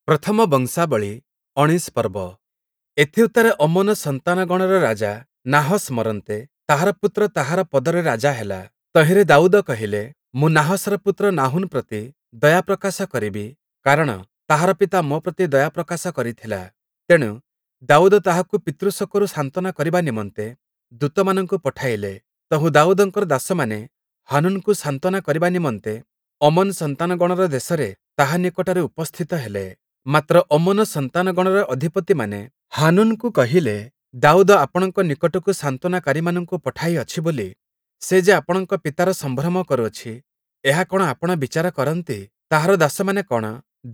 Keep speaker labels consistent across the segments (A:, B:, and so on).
A: ପ୍ରଥମ ବଂଶାବଳୀ ଅଣୀଶ ପର୍ବ। ଏଥିଉତ୍ତାରେ ଅମ୍ମୋନ ସନ୍ତାନଗଣର ରାଜା ନାହଶ୍ ମରନ୍ତେ, ତାହାର ପୁତ୍ର ତାହାର ପଦରେ ରାଜା ହେଲା। ତହିଁରେ ଦାଉଦ କହିଲେ, ମୁଁ ନାହଶର ପୁତ୍ର ନାହୂନ୍ ପ୍ରତି ଦୟା ପ୍ରକାଶ କରିବି, କାରଣ ତାହାର ପିତା ମୋ ପ୍ରତି ଦୟା ପ୍ରକାଶ କରିଥିଲା। ତେଣୁ ଦାଉଦ ତାହାକୁ ପିତୃଶୋକରୁ ସାନ୍ତ୍ୱନା କରିବା ନିମନ୍ତେ ଦୂତମାନଙ୍କୁ ପଠାଇଲେ। ତହୁଁ ଦାଉଦଙ୍କର ଦାସମାନେ ହାନୂନ୍‌କୁ ସାନ୍ତ୍ୱନା କରିବା ନିମନ୍ତେ ଅମ୍ମୋନ ସନ୍ତାନଗଣର ଦେଶରେ ତାହା ନିକଟରେ ଉପସ୍ଥିତ ହେଲେ। ମାତ୍ର ଅମ୍ମୋନ ସନ୍ତାନଗଣର ଅଧିପତିମାନେ ହାନୂନ୍‌କୁ କହିଲେ, ଦାଉଦ ଆପଣଙ୍କ ନିକଟକୁ ସାନ୍ତ୍ୱନାକାରୀମାନଙ୍କୁ ପଠାଇଅଛି ବୋଲି ସେ ଯେ ଆପଣଙ୍କ ପିତାର ସମ୍ଭ୍ରମ କରୁଅଛି, ଏହା କଣ ଆପଣ ବିଚାର କରନ୍ତି? ତାହାର ଦାସମାନେ କଣ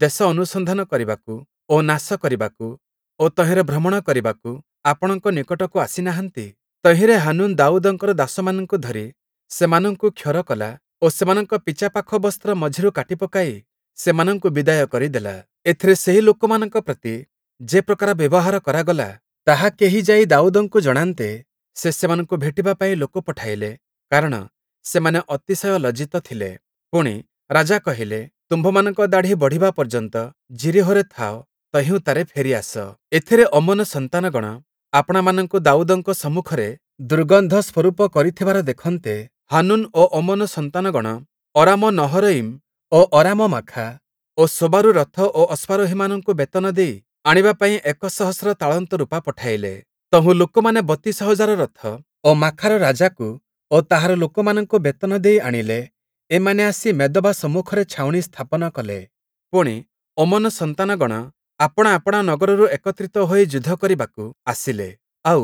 A: ଦେଶ ଅନୁସନ୍ଧାନ କରିବାକୁ ଓ ନାଶ କରିବାକୁ ଓ ତହିଁରେ ଭ୍ରମଣ କରିବାକୁ ଆପଣଙ୍କ ନିକଟକୁ ଆସି ନାହାନ୍ତି? ତହିଁରେ ହାନୂନ୍ ଦାଉଦଙ୍କର ଦାସମାନଙ୍କୁ ଧରି ସେମାନଙ୍କୁ କ୍ଷର କଲା ଓ ସେମାନଙ୍କ ପିଚାପାଖ ବସ୍ତ୍ର ମଝିରୁ କାଟି ପକାଇ ସେମାନଙ୍କୁ ବିଦାୟ କରିଦେଲା। ଏଥିରେ ସେହି ଲୋକମାନଙ୍କ ପ୍ରତି ଯେ ପ୍ରକାର ବ୍ୟବହାର କରାଗଲା, ତାହା କେହି ଯାଇ ଦାଉଦଙ୍କୁ ଜଣାନ୍ତେ, ସେ ସେମାନଙ୍କୁ ଭେଟିବା ପାଇଁ ଲୋକ ପଠାଇଲେ, କାରଣ ସେମାନେ ଅତିଶୟ ଲଜ୍ଜିତ ଥିଲେ। ପୁଣି, ରାଜା କହିଲେ, ତୁମ୍ଭମାନଙ୍କ ଦାଢ଼ି ବଢ଼ିବା ପର୍ଯ୍ୟନ୍ତ ଯିରୀହୋରେ ଥାଅ, ତହିଁ ଉତ୍ତାରେ ଫେରି ଆସ। ଏଥିରେ ଅମ୍ମୋନ ସନ୍ତାନଗଣ ଆପଣାମାନଙ୍କୁ ଦାଉଦଙ୍କ ସମ୍ମୁଖରେ ଦୁର୍ଗନ୍ଧ ସ୍ୱରୂପ କରିଥିବାର ଦେଖନ୍ତେ, ହାନୂନ୍ ଓ ଅମ୍ମୋନ ସନ୍ତାନଗଣ ଅରାମ ନହରୟିମ୍ ଓ ଅରାମ ମାଖା ଓ ସୋବାରୁ ରଥ ଓ ଅଶ୍ୱାରୋହୀମାନଙ୍କୁ ବେତନ ଦେଇ ଆଣିବା ପାଇଁ ୧,୦୦୦ ତାଳନ୍ତ ରୂପା ପଠାଇଲେ। ତହୁଁ ଲୋକମାନେ ୩୨,୦୦୦ ରଥ ଓ ମାଖାର ରାଜାକୁ ଓ ତାହାର ଲୋକମାନଙ୍କୁ ବେତନ ଦେଇ ଆଣିଲେ। ଏମାନେ ଆସି ମେଦବା ସମ୍ମୁଖରେ ଛାଉଣି ସ୍ଥାପନ କଲେ। ପୁଣି, ଅମ୍ମୋନ ସନ୍ତାନଗଣ ଆପଣା ଆପଣା ନଗରରୁ ଏକତ୍ରିତ ହୋଇ ଯୁଦ୍ଧ କରିବାକୁ ଆସିଲେ। ଆଉ,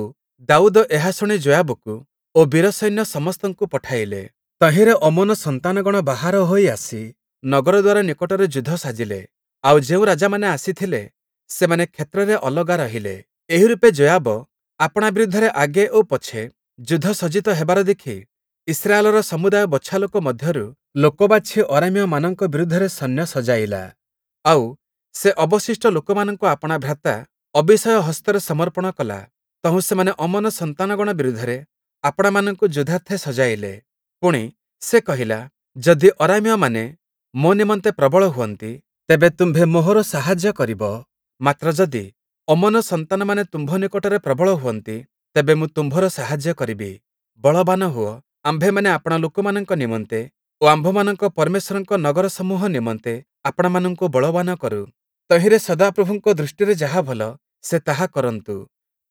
A: ଦାଉଦ ଏହା ଶୁଣି ଯୋୟାବକୁ ଓ ବୀରସୈନ୍ୟ ସମସ୍ତଙ୍କୁ ପଠାଇଲେ। ତହିଁରେ ଅମ୍ମୋନ ସନ୍ତାନଗଣ ବାହାର ହୋଇ ଆସି ନଗରଦ୍ୱାର ନିକଟରେ ଯୁଦ୍ଧ ସାଜିଲେ। ଆଉ ଯେଉଁ ରାଜାମାନେ ଆସିଥିଲେ, ସେମାନେ କ୍ଷେତ୍ରରେ ଅଲଗା ରହିଲେ। ଏହିରୂପେ ଯୋୟାବ ଆପଣା ବିରୁଦ୍ଧରେ ଆଗେ ଓ ପଛେ ଯୁଦ୍ଧ ସଜ୍ଜିତ ହେବାର ଦେଖି ଇସ୍ରାଏଲର ସମୁଦାୟ ବଛାଲୋକ ମଧ୍ୟରୁ ଲୋକ ବାଛି ଅରାମୀୟମାନଙ୍କ ବିରୁଦ୍ଧରେ ସୈନ୍ୟ ସଜାଇଲା। ଆଉ, ସେ ଅବଶିଷ୍ଟ ଲୋକମାନଙ୍କୁ ଆପଣା ଭ୍ରାତା ଅବୀଶୟ ହସ୍ତରେ ସମର୍ପଣ କଲା। ତହୁଁ ସେମାନେ ଅମ୍ମୋନ ସନ୍ତାନଗଣ ବିରୁଦ୍ଧରେ ଆପଣାମାନଙ୍କୁ ଯୁଦ୍ଧାର୍ଥେ ସଜାଇଲେ। ପୁଣି, ସେ କହିଲା, ଯଦି ଅରାମୀୟମାନେ ମୋ ନିମନ୍ତେ ପ୍ରବଳ ହୁଅନ୍ତି, ତେବେ ତୁମ୍ଭେ ମୋହର ସାହାଯ୍ୟ କରିବ; ମାତ୍ର ଯଦି ଅମ୍ମୋନ ସନ୍ତାନମାନେ ତୁମ୍ଭ ନିକଟରେ ପ୍ରବଳ ହୁଅନ୍ତି, ତେବେ ମୁଁ ତୁମ୍ଭର ସାହାଯ୍ୟ କରିବି। ବଳବାନ ହୁଅ, ଆମ୍ଭେମାନେ ଆପଣା ଲୋକମାନଙ୍କ ନିମନ୍ତେ ଓ ଆମ୍ଭମାନଙ୍କ ପରମେଶ୍ୱରଙ୍କ ନଗରସମୂହ ନିମନ୍ତେ ଆପଣାମାନଙ୍କୁ ବଳବାନ କରୁ। ତହିଁରେ ସଦାପ୍ରଭୁଙ୍କ ଦୃଷ୍ଟିରେ ଯାହା ଭଲ, ସେ ତାହା କରନ୍ତୁ।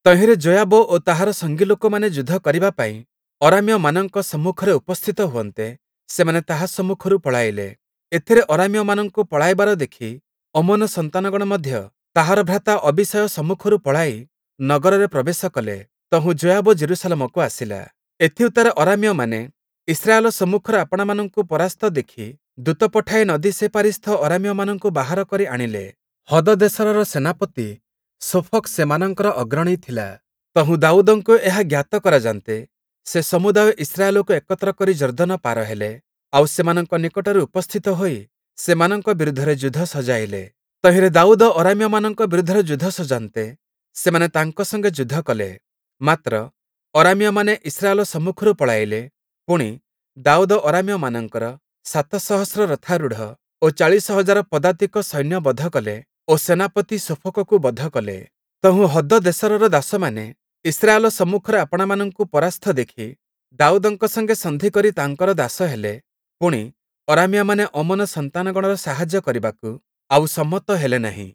A: ତହିଁରେ ଯୋୟାବ ଓ ତାହାର ସଙ୍ଗୀ ଲୋକମାନେ ଯୁଦ୍ଧ କରିବା ପାଇଁ ଅରାମୀୟମାନଙ୍କ ସମ୍ମୁଖରେ ଉପସ୍ଥିତ ହୁଅନ୍ତେ, ସେମାନେ ତାହା ସମ୍ମୁଖରୁ ପଳାଇଲେ। ଏଥିରେ ଅରାମୀୟମାନଙ୍କୁ ପଳାଇବାର ଦେଖି ଅମ୍ମୋନ ସନ୍ତାନଗଣ ମଧ୍ୟ ତାହାର ଭ୍ରାତା ଅବୀଶୟ ସମ୍ମୁଖରୁ ପଳାଇ ନଗରରେ ପ୍ରବେଶ କଲେ। ତହୁଁ ଯୋୟାବ ଯିରୂଶାଲମକୁ ଆସିଲା। ଏଥିଉତ୍ତାରେ ଅରାମୀୟମାନେ ଇସ୍ରାଏଲ ସମ୍ମୁଖରେ ଆପଣାମାନଙ୍କୁ ପରାସ୍ତ ଦେଖି ଦୂତ ପଠାଇ ନଦୀ ସେପାରିସ୍ଥ ଅରାମୀୟମାନଙ୍କୁ ବାହାର କରି ଆଣିଲେ। ହଦଦେସରର ସେନାପତି ଶୋଫକ୍ ସେମାନଙ୍କର ଅଗ୍ରଣୀ ଥିଲା। ତହୁଁ ଦାଉଦଙ୍କୁ ଏହା ଜ୍ଞାତ କରାଯାନ୍ତେ, ସେ ସମୁଦାୟ ଇସ୍ରାଏଲକୁ ଏକତ୍ର କରି ଯର୍ଦ୍ଦନ ପାର ହେଲେ, ଆଉ ସେମାନଙ୍କ ନିକଟରେ ଉପସ୍ଥିତ ହୋଇ ସେମାନଙ୍କ ବିରୁଦ୍ଧରେ ଯୁଦ୍ଧ ସଜାଇଲେ। ତହିଁରେ ଦାଉଦ ଅରାମୀୟମାନଙ୍କ ବିରୁଦ୍ଧରେ ଯୁଦ୍ଧ ସଜାନ୍ତେ, ସେମାନେ ତାଙ୍କ ସଙ୍ଗେ ଯୁଦ୍ଧ କଲେ। ମାତ୍ର ଅରାମୀୟମାନେ ଇସ୍ରାଏଲ ସମ୍ମୁଖରୁ ପଳାଇଲେ। ପୁଣି, ଦାଉଦ ଅରାମୀୟମାନଙ୍କର ୭,୦୦୦ ରଥାରୂଢ଼ ଓ ୪୦,୦୦୦ ପଦାତିକ ସୈନ୍ୟ ବଧ କଲେ ଓ ସେନାପତି ଶୋଫକକୁ ବଧ କଲେ। ତହୁଁ ହଦଦେସରର ଦାସମାନେ ଇସ୍ରାଏଲ ସମ୍ମୁଖରେ ଆପଣାମାନଙ୍କୁ ପରାସ୍ତ ଦେଖି ଦାଉଦଙ୍କ ସଙ୍ଗେ ସନ୍ଧି କରି ତାଙ୍କର ଦାସ ହେଲେ। ପୁଣି, ଅରାମୀୟମାନେ ଅମ୍ମୋନ ସନ୍ତାନଗଣର ସାହାଯ୍ୟ କରିବାକୁ ଆଉ ସମ୍ମତ ହେଲେ ନାହିଁ।